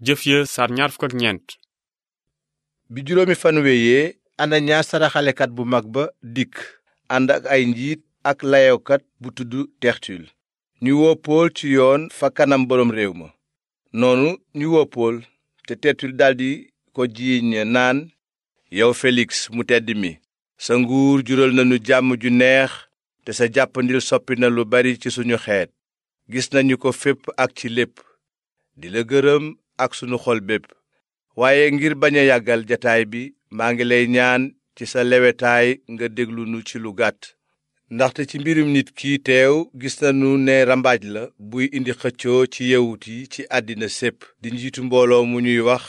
jëf ya sar ñaar fukk ak ñeent. bi juróomi fan wéyee ananiyaas saraxalekat bu mag ba dikk ànd ak ay njiit ak layokat bu tudd tertul ñu woo pool ci yoon fa kanam boroom réew ma. noonu ñu woo pool te tertul daldi ko jiiñ naan, yow feliks mu tedd mi, sa nguur jural nañu jàmm ju neex te sa jàppandil soppi na lu bari ci suñu xeet. gis nañu ko fépp ak ci lépp, di la gërëm ak sunu xol bépp. waaye ngir bañ a yàggal jataay bi maa ngi lay ñaan ci sa lewetaay nga déglu nu ci lu gàtt. ndaxte ci mbirum nit ki teew gis nañu ne rambaaj la buy indi xëccoo ci yawut yi ci àddina sépp di njiitu mbooloo mu ñuy wax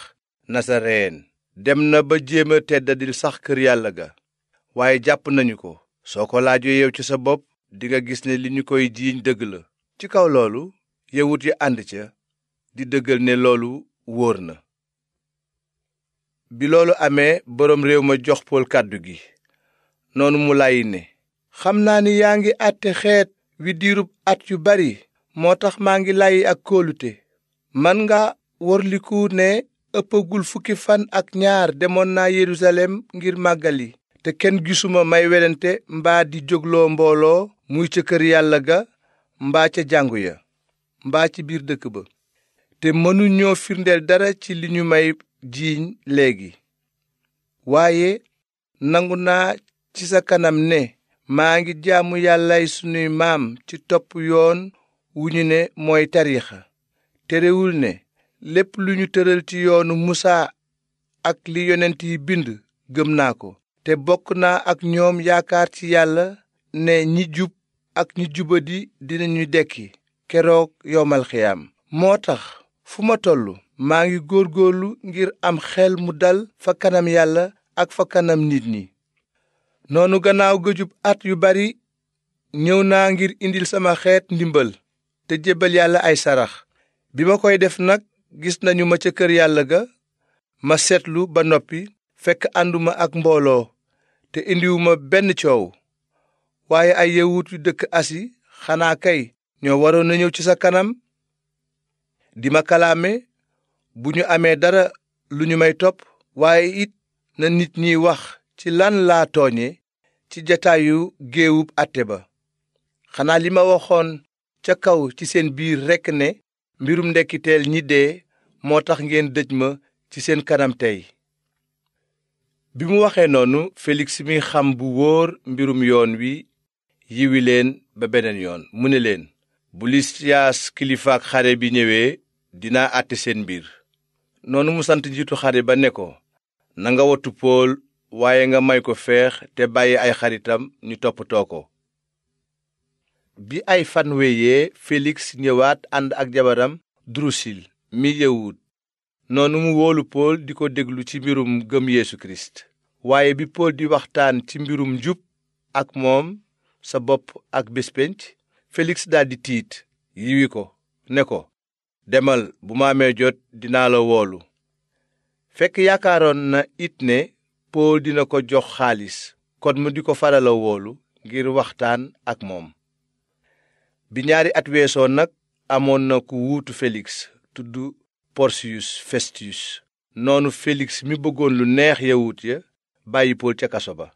nasareen. dem na ba jéem a teddadil sax kër yàlla ga. waaye jàpp nañu ko. soo ko laajoo yow ci sa bopp dinga gis ne li ñu koy jiiñ dëgg la. ci kaw loolu yawut yi ànd ca di dëggal ne loolu wóor na. bi loolu amee boroom réew ma jox pool kàddu gi. noonu mu làyyi ne, xam naa ni yaa ngi àtte xeet wi diirub at yu bari, moo tax maa ngi làyyi ak kóolute. man nga worliku ne ëppagul fukki fan ak ñaar demoon naa Yerusalem ngir màggali, te kenn gisuma may welante mbaa di jógloo mbooloo muy ca kër yàlla ga mbaa ca jàngu ya mbaa ci biir dëkk ba. te mënuñoo firndeel dara ci li ñu may jiiñ léegi. waaye nangu naa ci sa kanam ne maa ngi jaamu yàllay sunuy maam ci topp yoon wu ñu ne mooy tariixa. terewul ne lépp lu ñu tëral ci yoonu musaa ak li yonent yi bind gëm naa ko. te bokk naa ak ñoom yaakaar ci yàlla ne ñi jub ak ñi jubadi dinañu dekki keroog yowmal xiyaam. moo tax fu ma tollu maa ngi góorgóorlu ngir am xel mu dal fa kanam yàlla ak fa kanam nit ñi. noonu gannaaw gëjub at yu bari ñëw naa ngir indil sama xeet ndimbal te jébbal yàlla ay sarax. bi ma koy def nag gis nañu ma ca kër yàlla ga. ma seetlu ba noppi fekk ànduma ak mbooloo te indiwuma benn coow. waaye ay yawut yu dëkk asi xanaa kay ñoo waroon na ñëw ci sa kanam di ma kalaame bu ñu amee dara lu ñu may topp. waaye it na nit ñi wax ci lan laa tooñe ci jataayu géewub àtte ba. xanaa li ma waxoon ca kaw ci seen biir rekk ne mbirum ndekkiteel ñi dee moo tax ngeen dëj ma ci seen kanam tey. bi mu waxee noonu Feliks mi xam bu wóor mbirum yoon wi yiwi leen ba beneen yoon. mu ne leen, bu Lisiyaas kilifaak xare bi ñëwee dinaa àtte seen mbir. noonu mu sant njiitu xare ba ne ko, na nga wattu Pool waaye nga may ko feex te bàyyi ay xaritam ñu toppatoo ko. bi ay fan wéyee Feliks ñëwaat ànd ak jabaram Drusil mi yawut. noonu mu woolu Pool di ko déglu ci mbirum gëm Yeesu Kirist. waaye bi Pool di waxtaan ci mbirum njub ak moom sa bopp ak bés pénc, Feliks daldi tiit yiwi ko ne ko, demal, bu ma amee jot dinaa la woolu. fekk yaakaaroon na it ne Pool dina ko jox xaalis, kon mu di ko farala woolu ngir waxtaan ak moom. bi ñaari at weesoo nag amoon na ku wuutu Feliks tudd Porsiyus Festus. noonu Feliks mi bëggoon lu neex yawut ya bàyyi Pool ca kaso ba.